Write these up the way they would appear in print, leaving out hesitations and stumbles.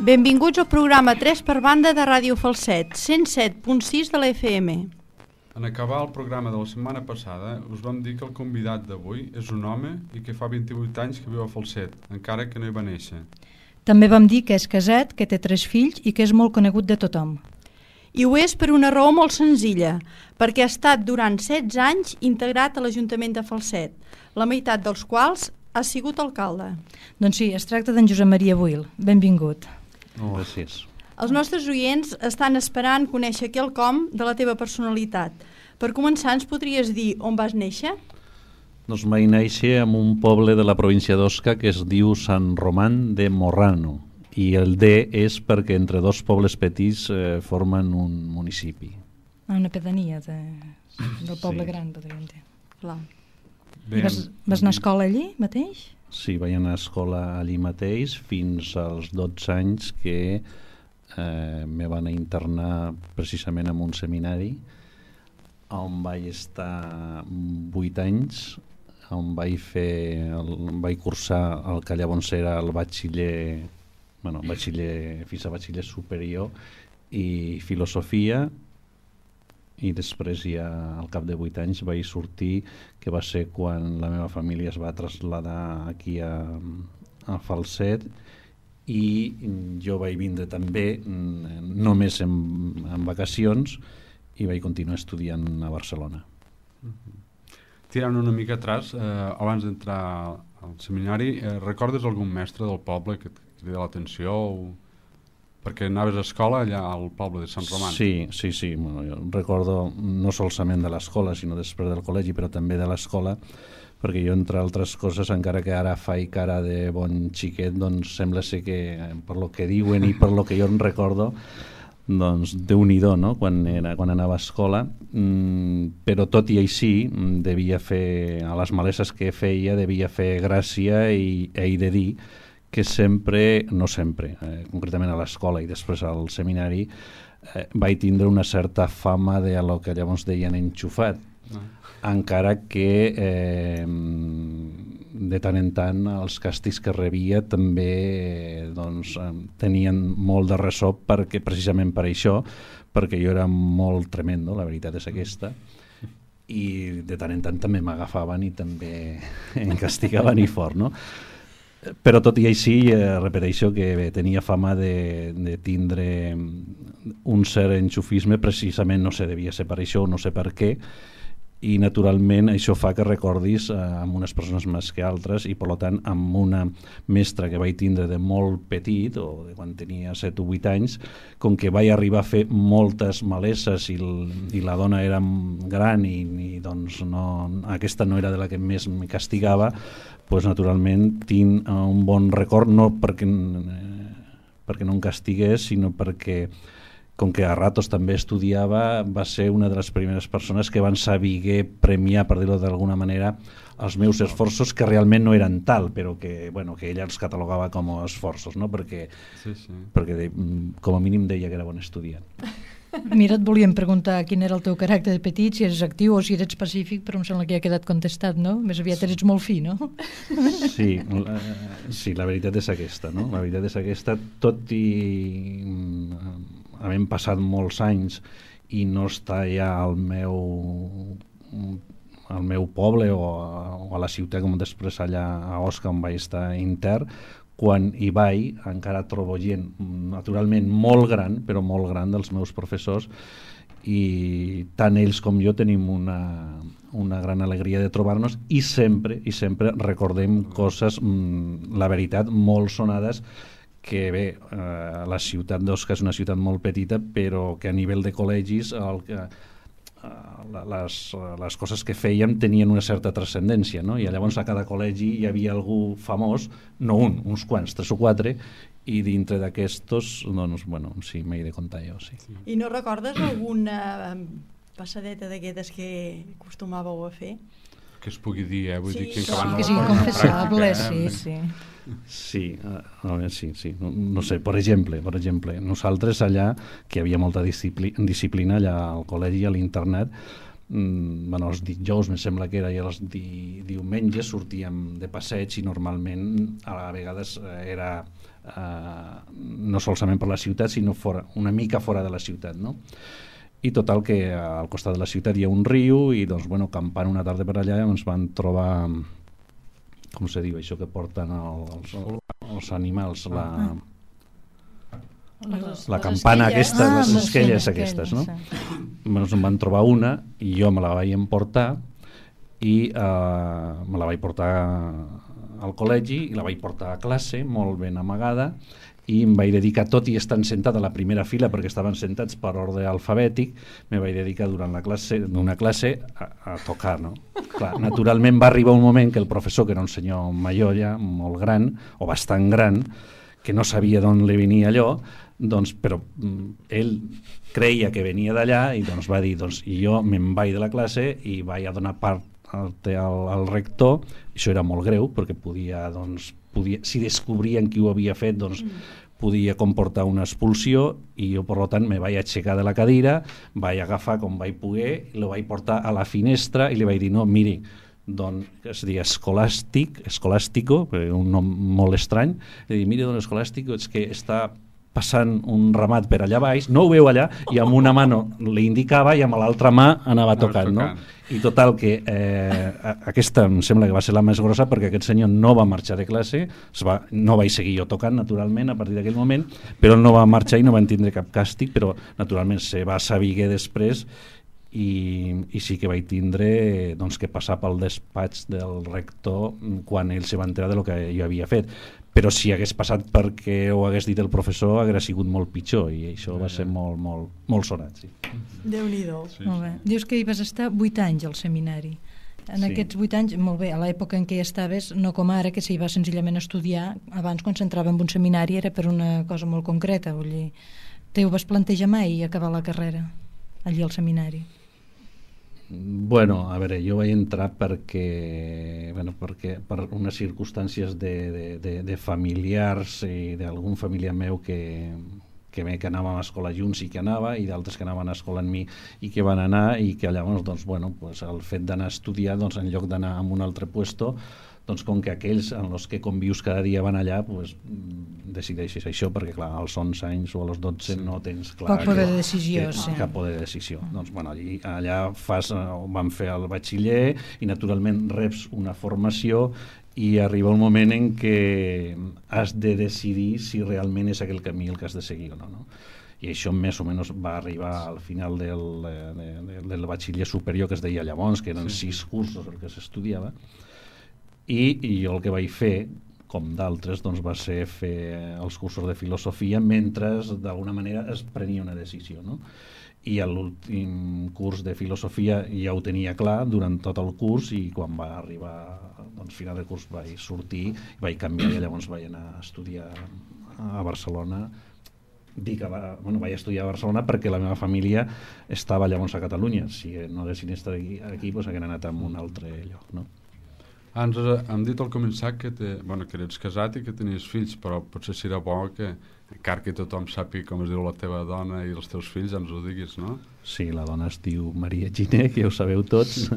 Benvinguts al programa 3 per banda de Ràdio Falset, 107.6 de la FM. En acabar el programa de la setmana passada, us vam dir que el convidat d'avui és un home i que fa 28 anys que viu a Falset, encara que no hi va néixer. També vam dir que és casat, que té 3 fills i que és molt conegut de tothom. I ho és per una raó molt senzilla, perquè ha estat durant 16 anys integrat a l'Ajuntament de Falset, la meitat dels quals ha sigut alcalde. Doncs sí, es tracta d'en Josep Maria Buil. Benvingut. Gràcies. Els nostres oients estan esperant conèixer quelcom de la teva personalitat. Per començar, ens podries dir on vas néixer? Doncs vaig néixer en un poble de la província d'Osca que es diu Sant Román de Morrano, i el D és perquè entre dos pobles petits formen un municipi. Una pedania del poble gran, podríem dir. Clar. I vas anar a escola allí mateix? Sí, vaig anar a escola allí mateix fins als 12 anys que me van internar precisament en un seminari on vaig estar 8 anys, on vaig cursar el que llavors era el batxiller fins a batxiller superior i filosofia, i després ja al cap de 8 anys vaig sortir, que va ser quan la meva família es va traslladar aquí a Falset, i jo vaig vindre també només en vacacions i vaig continuar estudiant a Barcelona. Tirant una mica atrás, abans d'entrar al seminari, recordes algun mestre del poble que et crida l'atenció? Perquè anaves a escola allà al poble de Sant Román. Sí. Bueno, jo recordo no solament de l'escola, sinó després del col·legi, però també de l'escola, perquè jo, entre altres coses, encara que ara faig cara de bon xiquet, doncs sembla ser que, per lo que diuen i per lo que jo en recordo, doncs Déu-n'hi-do, no?, quan anava a escola, però tot i així devia fer, a les maleses que feia, devia fer gràcia, i he de dir que sempre, no sempre, concretament a l'escola i després al seminari, vaig tindre una certa fama de lo que llavors deien enxufat, encara que de tant en tant els càstigs que rebia també tenien molt de ressò, perquè precisament per això, perquè jo era molt tremendo, la veritat és aquesta, i de tant en tant també m'agafaven i també em castigaven i fort, no? Però tot i així, repeteixo que tenia fama de tindre un cert enxufisme, precisament no sé, devia ser per això o no sé per què, i naturalment això fa que recordis amb unes persones més que altres, i per tant amb una mestra que vaig tindre de molt petit, o de quan tenia 7 o 8 anys, com que vaig arribar a fer moltes maleses i la dona era gran i doncs aquesta no era de la que més me castigava, doncs naturalment tinc un bon record, no perquè no em castigués, sinó perquè, com que a ratos també estudiava, va ser una de les primeres persones que van saber premiar, per dir-ho d'alguna manera, els meus esforços, que realment no eren tal, però que ella els catalogava com a esforços, no? Perquè com a mínim deia que era bon estudiant. Mira, et volíem preguntar quin era el teu caràcter de petit, si eres actiu o si eres pacífic, però em sembla que ja ha quedat contestat, no? Més aviat eres molt fi, no? Sí, la veritat és aquesta, no? La veritat és aquesta, tot i havent passat molts anys i no estar ja al meu poble o a la ciutat, com després allà a Osca, on vaig estar intern, quan hi vaig encara trobo gent naturalment molt gran, però molt gran, dels meus professors, i tant ells com jo tenim una gran alegria de trobar-nos, i sempre recordem coses, la veritat, molt sonades, que bé, la ciutat d'Osca és una ciutat molt petita, però que a nivell de col·legis les coses que fèiem tenien una certa transcendència, no? I llavors a cada col·legi hi havia algú famós, no uns quants, 3 o 4, i dintre d'aquestos, doncs, bueno, sí, m'he de contar jo, sí. I no recordes alguna passadeta d'aquestes que acostumàveu a fer? Que es pugui dir, vull dir que és inconfessable, sí. Sí, no sé, per exemple, nosaltres allà, que hi havia molta disciplina allà al col·legi, a l'internat, els dijous, em sembla que era, i els diumenges sortíem de passeig i normalment a vegades era no solament per la ciutat, sinó una mica fora de la ciutat, no? I total que al costat de la ciutat hi ha un riu i doncs, campant una tarda per allà ens van trobar, com se diu això que porten els animals, la campana aquesta, les esquelles aquestes, no? Ens en van trobar una i jo me la vaig emportar i me la vaig portar al col·legi i la vaig portar a classe molt ben amagada i em vaig dedicar, tot i estant sentat a la primera fila perquè estaven sentats per ordre alfabètic, me vaig dedicar durant una classe a tocar, no? Clar, naturalment va arribar un moment que el professor, que era un senyor major ja, molt gran, o bastant gran, que no sabia d'on li venia allò, doncs, però ell creia que venia d'allà i doncs va dir, i jo me'n vaig de la classe i vaig a donar part al rector. Això era molt greu perquè podia, si descobrien qui ho havia fet, doncs podia comportar una expulsió i jo, per tant, me vaig aixecar de la cadira, vaig agafar com vaig poder, lo vaig portar a la finestra i li vaig dir, no, miri, es deia Escolàstico, un nom molt estrany, li dic, miri, don Escolàstico, és que està passant un ramat per allà baix, no ho veu allà, i amb una mà li indicava i amb l'altra mà anava tocant, no? I total que aquesta em sembla que va ser la més grossa perquè aquest senyor no va marxar de classe, no vaig seguir jo tocant naturalment a partir d'aquell moment, però ell no va marxar i no van tindre cap càstig, però naturalment se va saber després i sí que vaig tindre que passar pel despatx del rector quan ell se va enterar del que jo havia fet. Però si hagués passat perquè ho hagués dit el professor hauria sigut molt pitjor i això va ser molt sonat. Sí. Déu-n'hi-do. Sí. Molt bé. Dius que hi vas estar 8 anys al seminari. En aquests 8 anys, molt bé, a l'època en què hi estaves, no com ara, que s'hi va senzillament estudiar, abans quan s'entrava en un seminari era per una cosa molt concreta, vull dir, te ho vas plantejar mai acabar la carrera allí al seminari? Bueno, a veure, jo vaig entrar perquè per unes circumstàncies de familiars i d'algun familiar meu que anàvem a escola junts i que anava, i d'altres que anaven a escola amb mi i que van anar, i que llavors el fet d'anar a estudiar, en lloc d'anar a un altre puesto, com que aquells en els que convius cada dia van allà, decideixes això, perquè clar, als 11 anys o als 12 no tens clar poc poder de decisió, cap poder de decisió. Allà vam fer el batxiller i naturalment reps una formació i arriba un moment en què has de decidir si realment és aquell camí el que has de seguir o no. I això més o menys va arribar al final del batxiller superior, que es deia llavors, que eren 6 cursos el que s'estudiava. I jo el que vaig fer, com d'altres, va ser fer els cursos de filosofia mentre d'alguna manera es prenia una decisió, no? I a l'últim curs de filosofia ja ho tenia clar durant tot el curs, i quan va arribar final del curs vaig sortir, vaig canviar i llavors vaig anar a estudiar a Barcelona. Vaig estudiar a Barcelona perquè la meva família estava llavors a Catalunya. Si no haguessin estat aquí, haguessin anat a un altre lloc, no? Ens hem dit al començar que eres casat i que tenies fills, però potser serà bo que, encara que tothom sàpiga com es diu la teva dona i els teus fills, ens ho diguis, no? Sí, la dona es diu Maria Giner, que ja ho sabeu tots,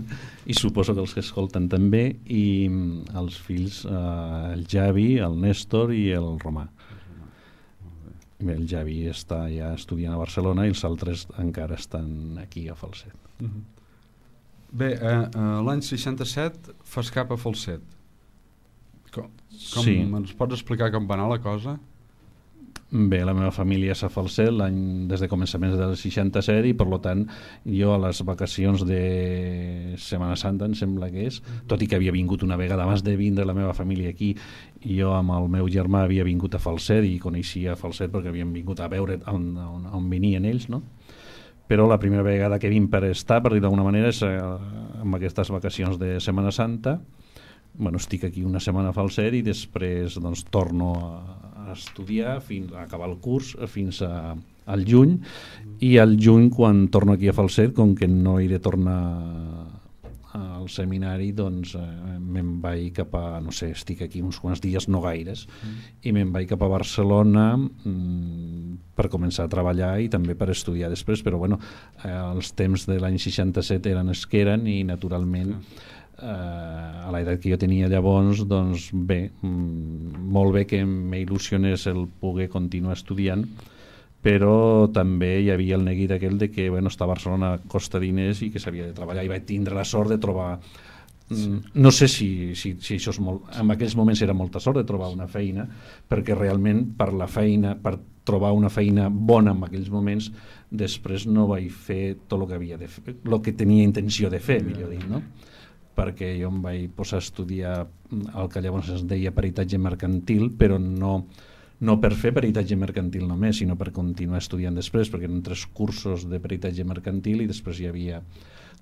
i suposo que els que escolten també, i els fills, el Javi, el Néstor i el Romà. Bé, el Javi està ja estudiant a Barcelona i els altres encara estan aquí a Falset. Bé, l'any 67 fas cap a Falset. Sí. Ens pots explicar com va anar la cosa? Bé, la meva família és a Falset des de començaments del 67 i per tant jo a les vacacions de Setmana Santa, em sembla que és, tot i que havia vingut una vegada abans de vindre la meva família aquí, jo amb el meu germà havia vingut a Falset i coneixia Falset perquè havíem vingut a veure on venien ells, no? Però la primera vegada que vinc per estar, per dir d'alguna manera, és amb aquestes vacacions de Setmana Santa. Estic aquí una setmana a Falset i després torno a estudiar fins a acabar el curs fins al juny, i al juny quan torno aquí a Falset, com que no he de tornar al seminari, doncs me'n vaig cap a, no sé, estic aquí uns quants dies, no gaires, i me'n vaig cap a Barcelona per començar a treballar i també per estudiar després, però bueno, els temps de l'any 67 eren els que eren i naturalment a l'edat que jo tenia llavors, doncs bé, molt bé que m'il·lusionés el poder continuar estudiant, però també hi havia el neguit aquell de que estar a Barcelona costa diners i que s'havia de treballar, i vaig tindre la sort de trobar no sé si això és molt, en aquells moments era molta sort de trobar una feina, perquè realment per trobar una feina bona en aquells moments, després no vaig fer tot el que havia de fer, el que tenia intenció de fer, millor dir, no? Perquè jo em vaig posar a estudiar el que llavors es deia peritatge mercantil, però no per fer peritatge mercantil només, sinó per continuar estudiant després, perquè eren 3 cursos de peritatge mercantil i després hi havia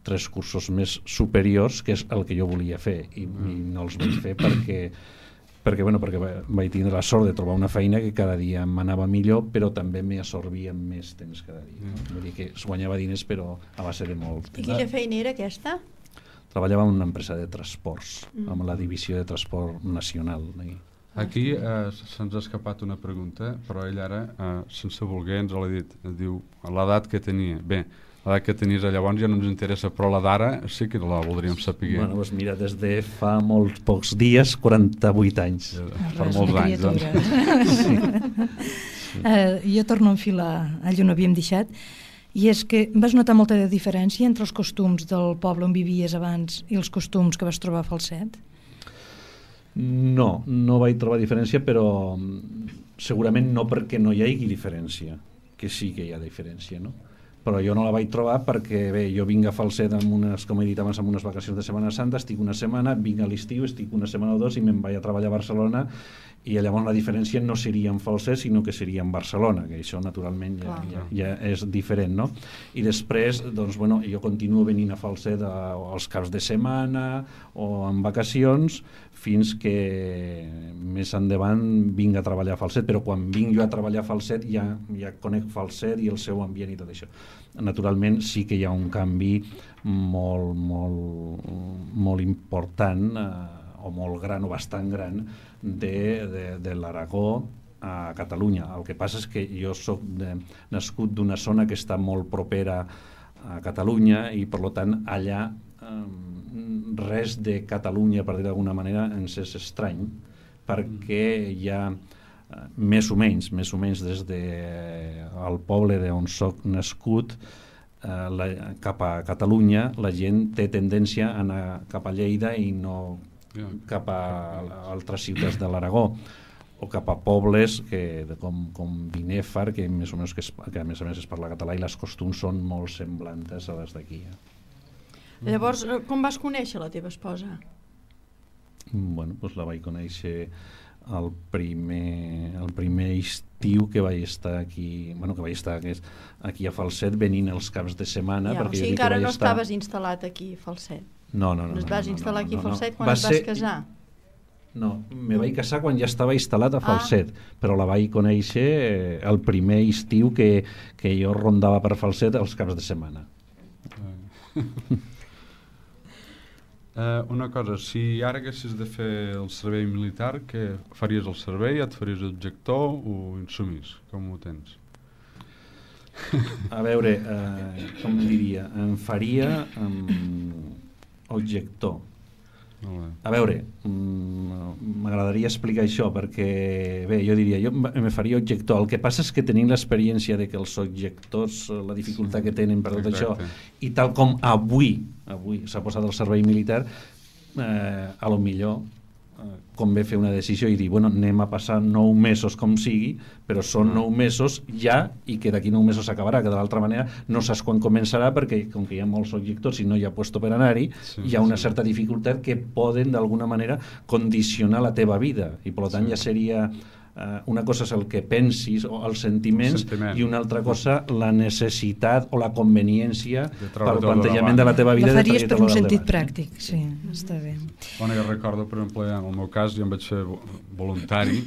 3 cursos més superiors, que és el que jo volia fer, i no els vaig fer perquè vaig tindre la sort de trobar una feina que cada dia m'anava millor, però també m'absorbia més temps cada dia. Vull dir que es guanyava diners, però a base de molt temps. I quina feina era aquesta? Treballava en una empresa de transports, amb la divisió de transport nacional. Aquí se'ns ha escapat una pregunta, però ell ara, sense voler, ens l'ha dit. Diu, l'edat que tenia. Bé, l'edat que tenies llavors ja no ens interessa, però la d'ara sí que la voldríem saber. Bueno, doncs mira, des de fa molts pocs dies, 48 anys. Per molts anys, doncs. Jo torno a enfilar allà on havíem deixat, i és que vas notar molta diferència entre els costums del poble on vivies abans i els costums que vas trobar a Falset? No vaig trobar diferència, però segurament no perquè no hi hagi diferència, que sí que hi ha diferència, no? Però jo no la vaig trobar perquè, bé, jo vinc a Falset com he dit abans, amb unes vacacions de Setmana Santa, estic una setmana, vinc a l'estiu, estic una setmana o 2 i me'n vaig a treballar a Barcelona, i llavors la diferència no seria en Falset, sinó que seria en Barcelona, que això naturalment ja és diferent, no? I després, doncs, jo continuo venint a Falset als caps de setmana o en vacacions, fins que més endavant vinc a treballar a Falset, però quan vinc jo a treballar a Falset ja conec Falset i el seu ambient i tot això. Naturalment sí que hi ha un canvi molt, molt, molt important, o molt gran o bastant gran, de l'Aragó a Catalunya. El que passa és que jo soc nascut d'una zona que està molt propera a Catalunya i per tant allà res de Catalunya, per dir d'alguna manera, ens és estrany, perquè hi ha més o menys des del poble d'on soc nascut cap a Catalunya, la gent té tendència a anar cap a Lleida i no cap a altres ciutats de l'Aragó, o cap a pobles com Binèfar, que més o menys que a més es parla català i les costums són molt semblants a les d'aquí. Llavors, com vas conèixer la teva esposa? Bueno, doncs la vaig conèixer el primer estiu que vaig estar aquí, aquí a Falset, venint els caps de setmana. O sigui, encara no estaves instal·lat aquí a Falset? No. Es vas instal·lar aquí a Falset quan et vas casar? No, me vaig casar quan ja estava instal·lat a Falset, però la vaig conèixer el primer estiu que jo rondava per Falset els caps de setmana. Una cosa, si ara haguessis de fer el servei militar, què faries el servei? Et faries objector o insumís? Com ho tens? A veure, com diria, em faria objector. A veure, m'agradaria explicar això perquè, bé, jo diria, jo me faria objector. El que passa és que tenim l'experiència de que els objectors, la dificultat que tenen per tot això, i tal com avui s'ha posat el servei militar, a lo millor convé fer una decisió i dir, bueno, anem a passar 9 mesos com sigui, però són 9 mesos ja, i que d'aquí 9 mesos s'acabarà, que de l'altra manera no saps quan començarà, perquè com que hi ha molts objectors i no hi ha puesto per anar-hi, hi ha una certa dificultat que poden d'alguna manera condicionar la teva vida, i per tant ja seria una cosa és el que pensis o els sentiments i una altra cosa la necessitat o la conveniència pel plantejament de la teva vida. La faries per un sentit pràctic, sí, està bé. Bueno, jo recordo, per exemple, en el meu cas, jo em vaig fer voluntari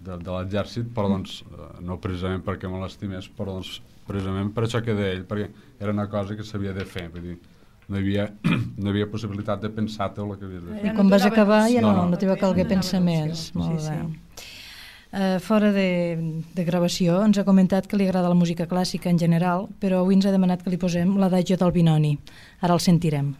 de l'exèrcit, però doncs no precisament perquè me l'estimés, però doncs precisament per això que deia ell, perquè era una cosa que s'havia de fer, vull dir, no hi havia possibilitat de pensar-te el que havies de fer. I quan vas acabar ja no t'hi va calguer No, pensar no, més. Molt sí, bé. Fora de gravació, ens ha comentat que li agrada la música clàssica en general, però avui ens ha demanat que li posem l'Adagio del Binoni. Ara el sentirem.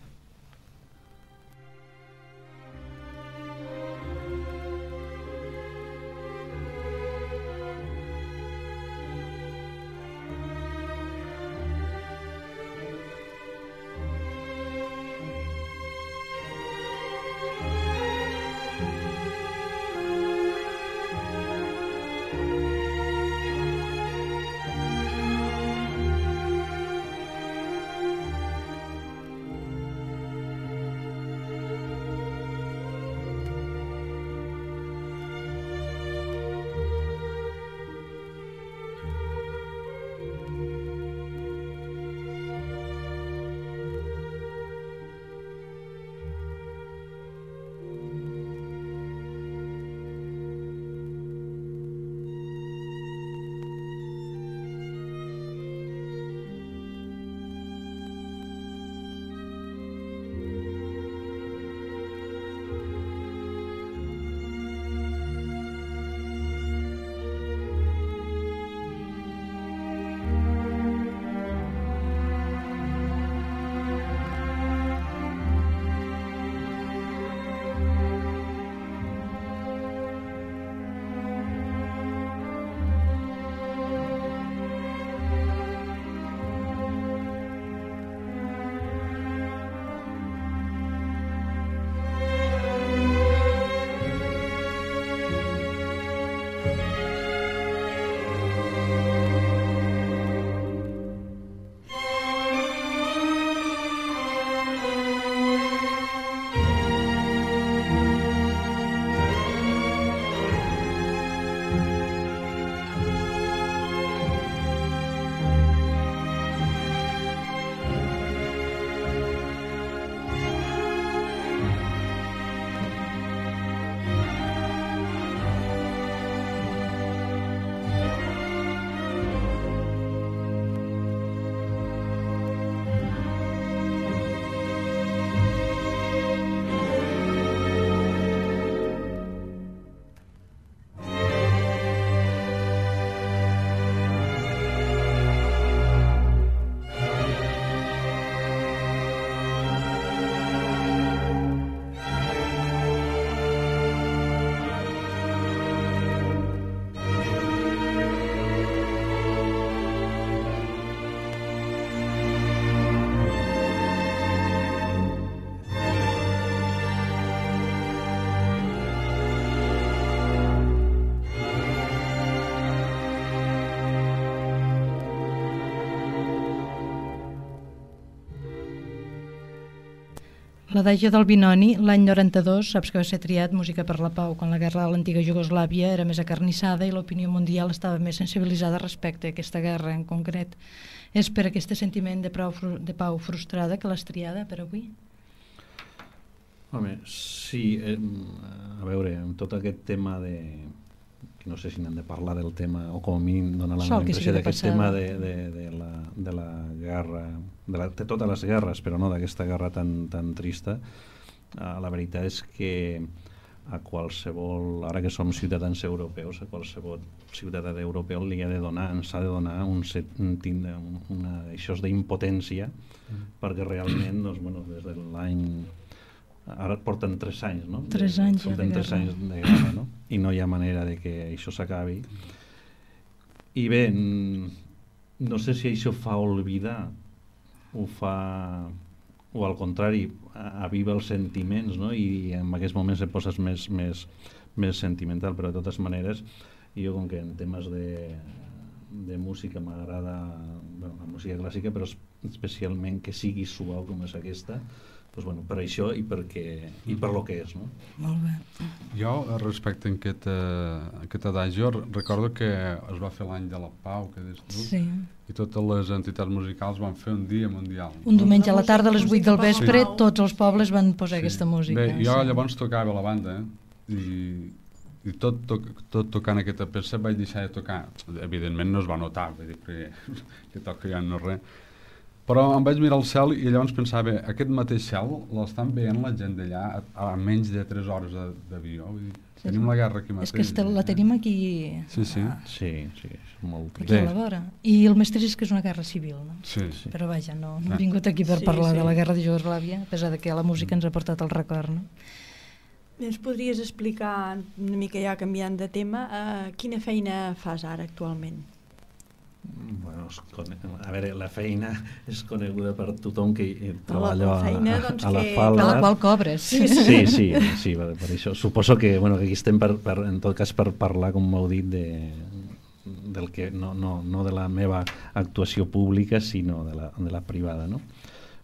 L'Adagio del Binoni, l'any 92, saps que va ser triat Música per la Pau, quan la guerra de l'antiga Iugoslàvia era més acarnissada i l'opinió mundial estava més sensibilitzada respecte a aquesta guerra en concret. És per aquest sentiment de pau frustrada que l'has triada per avui? Home, sí, a veure, amb tot aquest tema de... no sé si n'hem de parlar del tema, o com a mínim donar la impressió d'aquest tema de la guerra, de totes les guerres, però no d'aquesta guerra tan trista. La veritat és que a qualsevol, ara que som ciutadans europeus, a qualsevol ciutadà europeu li ha de donar, ens ha de donar això d'impotència, perquè realment, doncs, bueno, des de l'any... Ara porten 3 anys, no? 3 anys ja de guerra. 3 anys de guerra, no? I no hi ha manera de que això s'acabi. I bé, no sé si això fa oblidar o al contrari, aviva els sentiments, no? I en aquests moments et poses més sentimental, però de totes maneres, jo com que en temes de música m'agrada, bueno, la música clàssica, però especialment que sigui suau com és aquesta, doncs, bueno, per això i per lo que és, no? Molt bé. Jo, respecte a aquest adagio, recordo que es va fer l'any de la Pau, que dius tu, sí. I totes les entitats musicals van fer un dia mundial. Un diumenge a la tarda, a les 8 del vespre, tots els pobles van posar aquesta música. Bé, jo llavors tocava a la banda, i tot tocant aquesta peça vaig deixar de tocar. Evidentment no es va notar, vull dir que toco ja no res. Però em vaig mirar al cel i llavors pensava, aquest mateix cel l'estan veient la gent d'allà a menys de 3 hores d'avió. Tenim la guerra aquí mateix. És que la tenim aquí... Sí, és molt trist. Aquí a la vora. I el més trist és que és una guerra civil, no? Sí. Però vaja, no hem vingut aquí per parlar de la guerra de Jugoslàvia, a pesar de que la música ens ha portat el record, no? Ens podries explicar, una mica ja canviant de tema, quina feina fas ara actualment? Bueno, a veure, la feina és coneguda per tothom que treballa a la falda. Per la qual cobres. Sí, per això. Suposo que aquí estem en tot cas per parlar, com m'heu dit, del que no de la meva actuació pública, sinó de la privada, no?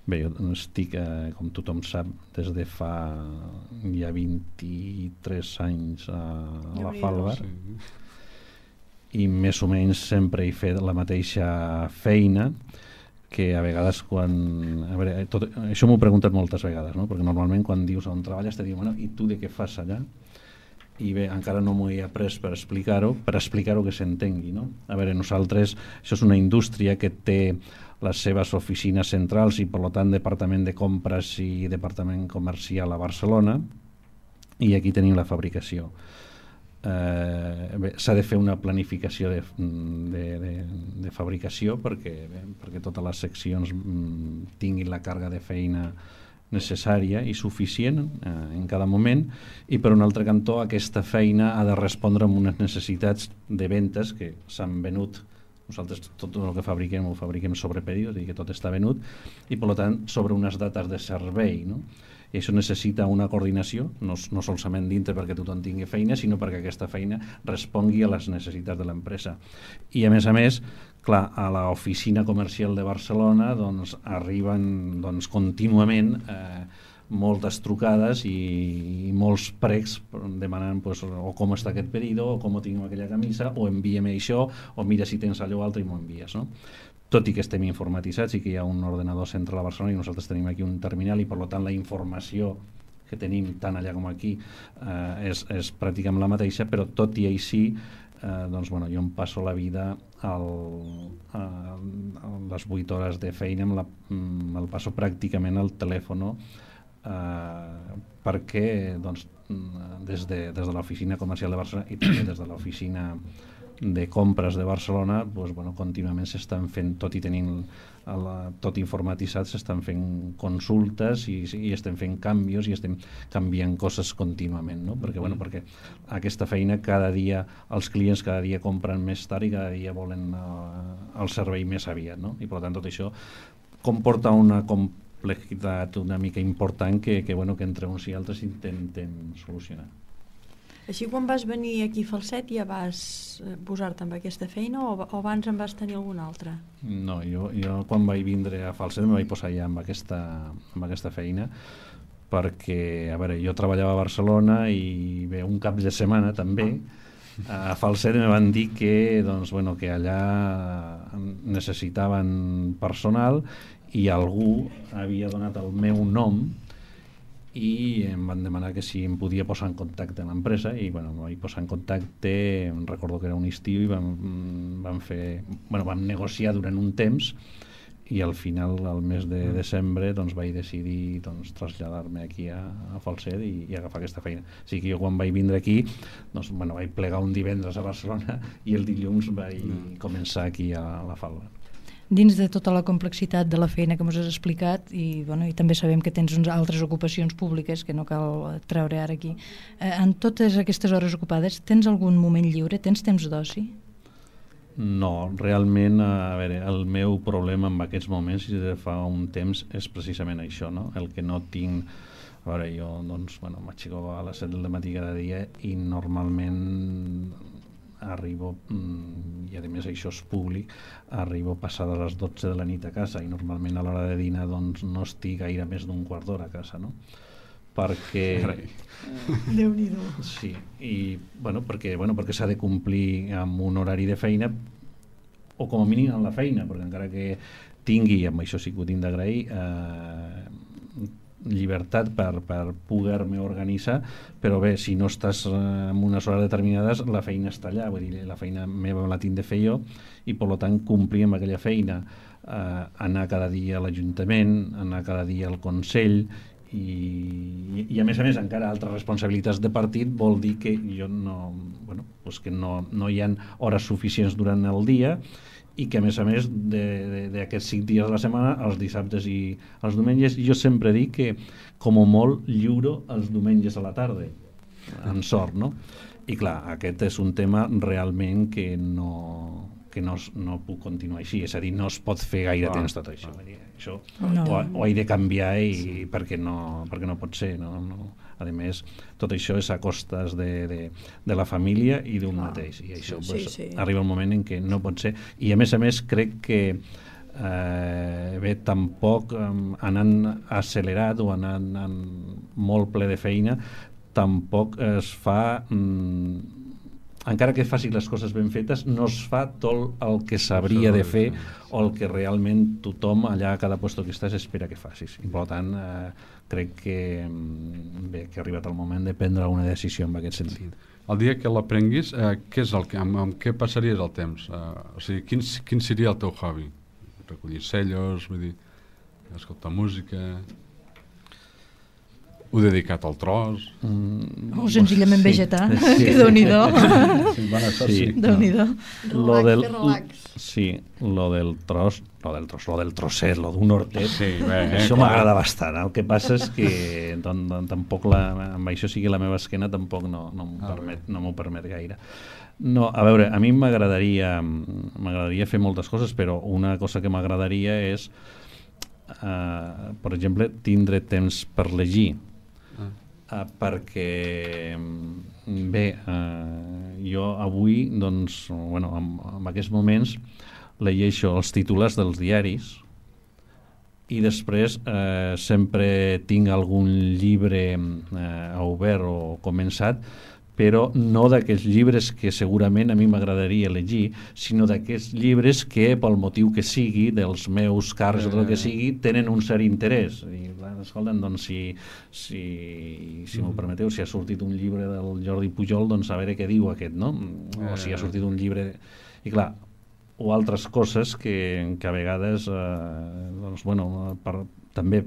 Bé, jo estic, com tothom sap, des de fa ja 23 anys a la Falbar, i més o menys sempre he fet la mateixa feina, que a vegades quan... A veure, això m'ho he preguntat moltes vegades, no? Perquè normalment quan dius on treballes te diuen, bueno, i tu de què fas allà? I bé, encara no m'ho he après per explicar-ho que s'entengui, no? A veure, nosaltres, això és una indústria que té les seves oficines centrals i per tant departament de compres i departament comercial a Barcelona, i aquí tenim la fabricació. S'ha de fer una planificació de fabricació perquè totes les seccions tinguin la càrrega de feina necessària i suficient en cada moment, i per un altre cantó aquesta feina ha de respondre amb unes necessitats de ventes que s'han venut. Nosaltres tot el que fabriquem ho fabriquem sobre pedido, és a dir, que tot està venut, i per tant sobre unes dates de servei, no? I això necessita una coordinació, no solament dintre perquè tothom tingui feina, sinó perquè aquesta feina respongui a les necessitats de l'empresa. I a més, clar, a l'oficina comercial de Barcelona arriben contínuament moltes trucades i molts pregs demanant o com està aquest pedido, o com tinc aquella camisa, o envia'm això, o mira si tens allò altre i m'ho envies, no? Tot i que estem informatitzats i que hi ha un ordenador central a Barcelona i nosaltres tenim aquí un terminal, i per tant la informació que tenim tant allà com aquí és pràcticament la mateixa, però tot i així jo em passo la vida les 8 hores de feina me'l passo pràcticament al telèfon, perquè des de l'oficina comercial de Barcelona i també des de l'oficina de compres de Barcelona contínuament s'estan fent, tot i tenint tot informatitzat, s'estan fent consultes i estem fent canvis i estem canviant coses contínuament, no? Perquè aquesta feina cada dia, els clients cada dia compren més tard i cada dia volen el servei més aviat, no? I per tant tot això comporta una complexitat una mica important que entre uns i altres intentem solucionar. Així, quan vas venir aquí a Falset ja vas posar-te amb aquesta feina o abans en vas tenir alguna altra? No, jo quan vaig vindre a Falset me vaig posar ja amb aquesta feina, perquè, a veure, jo treballava a Barcelona i bé, un cap de setmana també a Falset me van dir que allà necessitaven personal i algú havia donat el meu nom i em van demanar que si em podia posar en contacte amb l'empresa i em vaig posar en contacte, recordo que era un estiu i vam negociar durant un temps i al final, al mes de desembre, vaig decidir traslladar-me aquí a Falset i agafar aquesta feina. O sigui que jo quan vaig vindre aquí vaig plegar un divendres a Barcelona i el dilluns vaig començar aquí a la Falda. Dins de tota la complexitat de la feina que ens has explicat i també sabem que tens altres ocupacions públiques que no cal treure ara aquí, en totes aquestes hores ocupades tens algun moment lliure? Tens temps d'oci? No, realment, a veure, el meu problema en aquests moments i de fa un temps és precisament això, no? El que no tinc... A veure, jo m'aixeco a les 7 del matí cada dia i normalment arribo, i a més això és públic, arribo passada les 12 de la nit a casa i normalment a l'hora de dinar no estic gaire més d'un quart d'hora a casa, no? Perquè... Déu-n'hi-do. Sí, i perquè s'ha de complir amb un horari de feina o com a mínim amb la feina, perquè encara que tingui, amb això sí que ho tinc d'agrair, llibertat per poder-me organitzar, però bé, si no estàs en unes hores determinades, la feina està allà, vull dir, la feina meva la tinc de fer jo, i per tant complir amb aquella feina, anar cada dia a l'Ajuntament, anar cada dia al Consell, i a més encara altres responsabilitats de partit vol dir que jo que no hi ha hores suficients durant el dia, i que a més d'aquests 5 dies de la setmana, els dissabtes i els diumenges, jo sempre dic que com a molt lliuro els diumenges a la tarda, amb sort, no? I clar, aquest és un tema realment que no puc continuar així, és a dir, no es pot fer gaire temps tot això. Això ho he de canviar perquè no pot ser, no? A més, tot això és a costes de la família i d'un mateix, i això arriba un moment en què no pot ser, i a més crec que tampoc anant accelerat o anant molt ple de feina tampoc es fa, encara que faci les coses ben fetes, no es fa tot el que s'hauria de fer o el que realment tothom allà a cada lloc que estàs espera que facis, i per tant crec que ha arribat el moment de prendre una decisió en aquest sentit. El dia que l'aprenguis, amb què passaries el temps? O sigui, quin seria el teu hobby? Recollir cellos, vull dir, escoltar música... Ho dedicat al tros? O senzillament vegetar, que Déu-n'hi-do. Déu-n'hi-do. Lo del trosset, lo d'un hortet, això m'agrada bastant. El que passa és que tampoc amb això sigui la meva esquena tampoc no m'ho permet gaire. No, a veure, a mi m'agradaria fer moltes coses, però una cosa que m'agradaria és, per exemple, tindre temps per llegir. Perquè bé, jo avui doncs, en aquests moments llegeixo els titulars dels diaris i després sempre tinc algun llibre obert o començat, però no d'aquests llibres que segurament a mi m'agradaria llegir, sinó d'aquests llibres que, pel motiu que sigui, dels meus càrrecs o del que sigui, tenen un cert interès. I, escolta'm, doncs, si m'ho permeteu, si ha sortit un llibre del Jordi Pujol, doncs a veure què diu aquest, no? O si ha sortit un llibre... I clar, o altres coses que a vegades, doncs, també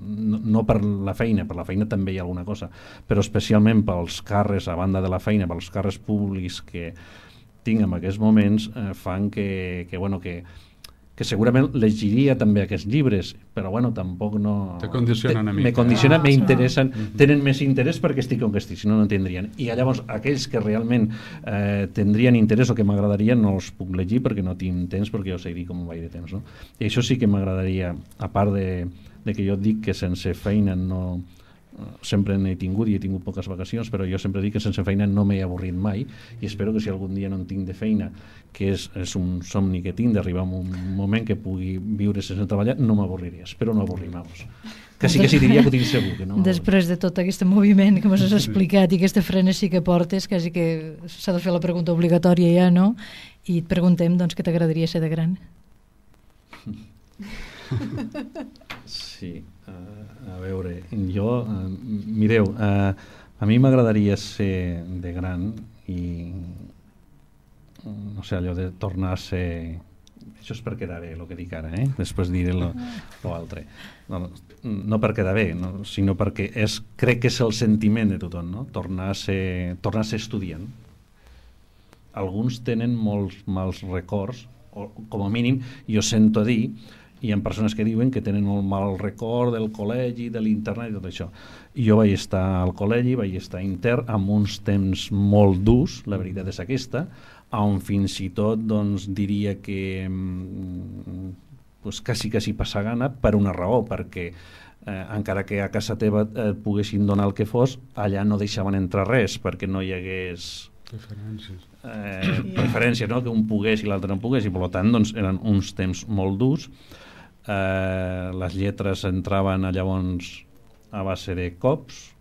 no per la feina també hi ha alguna cosa, però especialment pels càrrecs, a banda de la feina, pels càrrecs públics que tinc en aquests moments, fan que segurament llegiria també aquests llibres, però tampoc no... Te condicionen a mi. Me condicionen, m'interessen, tenen més interès perquè estic on que estic, si no, no tindrien. I llavors aquells que realment tindrien interès o que m'agradarien no els puc llegir perquè no tinc temps, perquè jo sé dir com vaig de temps, no? I això sí que m'agradaria, a part de que jo dic que sense feina no... sempre n'he tingut i he tingut poques vacacions, però jo sempre dic que sense feina no m'he avorrit mai, i espero que si algun dia no en tinc de feina, que és un somni que tinc d'arribar a un moment que pugui viure sense treballar, no m'avorriré, espero no avorrir-me-vos. Que sí diria que ho tinc segur. Que no... Després de tot aquest moviment que m'has explicat i aquesta frenesí que portes, quasi que s'ha de fer la pregunta obligatòria ja, no? I et preguntem, doncs, què t'agradaria ser de gran? Sí, a veure, jo, mireu, a mi m'agradaria ser de gran i, no sé, allò de tornar a ser... Això és per quedar bé, el que dic ara, després diré l'altre. No per quedar bé, no, sinó perquè crec que és el sentiment de tothom, no? Tornar a ser estudiant. Alguns tenen molts mals records, o com a mínim jo sento dir, hi ha persones que diuen que tenen un mal record del col·legi, de l'internat i tot això. Jo vaig estar al col·legi, vaig estar intern amb uns temps molt durs, la veritat és aquesta, on fins i tot doncs, diria que quasi passa gana per una raó, perquè encara que a casa teva et poguessin donar el que fos, allà no deixaven entrar res, perquè no hi hagués preferències, no? Que un pogués i l'altre no pogués, i per tant doncs, eren uns temps molt durs. Les lletres entraven llavors a base de cops,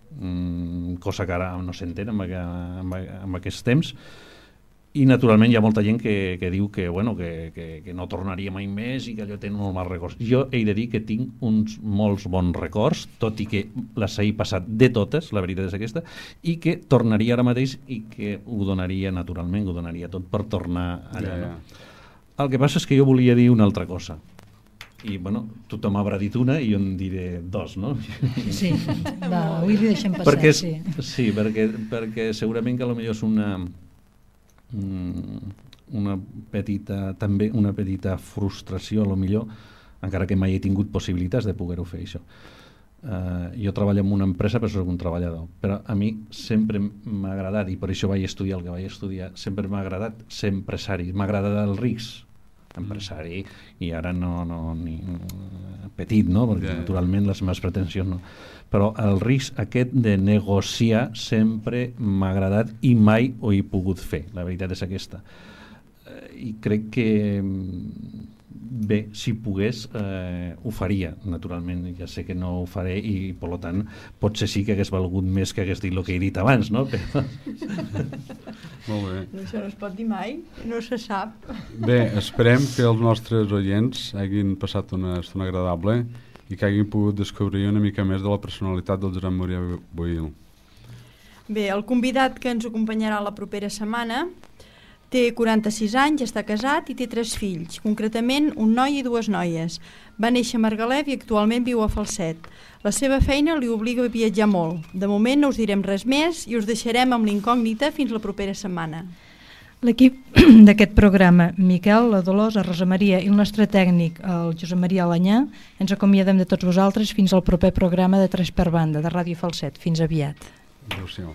cosa que ara no s'entén en aquests temps, I naturalment hi ha molta gent que diu que no tornaria mai més i que allò té molt mals records. Jo he de dir que tinc uns molts bons records, tot i que les he passat de totes, la veritat és aquesta, i que tornaria ara mateix i que ho donaria naturalment, ho donaria tot per tornar allà. No? El que passa és que jo volia dir una altra cosa. I, tothom haurà dit una i jo en diré dos, no? Sí, va, avui li deixem passar. Sí, perquè segurament que potser és una petita frustració, a lo millor, encara que mai he tingut possibilitats de poder-ho fer, això. Jo treballo en una empresa, però soc un treballador, però a mi sempre m'ha agradat, i per això vaig estudiar el que vaig estudiar, sempre m'ha agradat ser empresari, m'ha agradat el risc, empresari, i ara ni petit, no? Perquè naturalment les meves pretensions no. Però el risc aquest de negociar sempre m'ha agradat i mai ho he pogut fer, la veritat és aquesta. I crec que bé, si pogués ho faria, naturalment, ja sé que no ho faré i per tant potser sí que hagués valgut més que hagués dit el que he dit abans, no? Però... Molt bé. Això no es pot dir mai, no se sap. Bé, esperem que els nostres oients hagin passat una estona agradable i que hagin pogut descobrir una mica més de la personalitat del Josep Maria Bohill. Bé, el convidat que ens acompanyarà la propera setmana té 46 anys, està casat i té 3 fills, concretament un noi i 2 noies. Va néixer a Margalef i actualment viu a Falset. La seva feina li obliga a viatjar molt. De moment no us direm res més i us deixarem amb l'incògnita fins la propera setmana. L'equip d'aquest programa, Miquel, la Dolors, la Rosa Maria i el nostre tècnic, el Josep Maria Alanyà, ens acomiadem de tots vosaltres fins al proper programa de 3 per banda de Ràdio Falset. Fins aviat. Adéu-siau.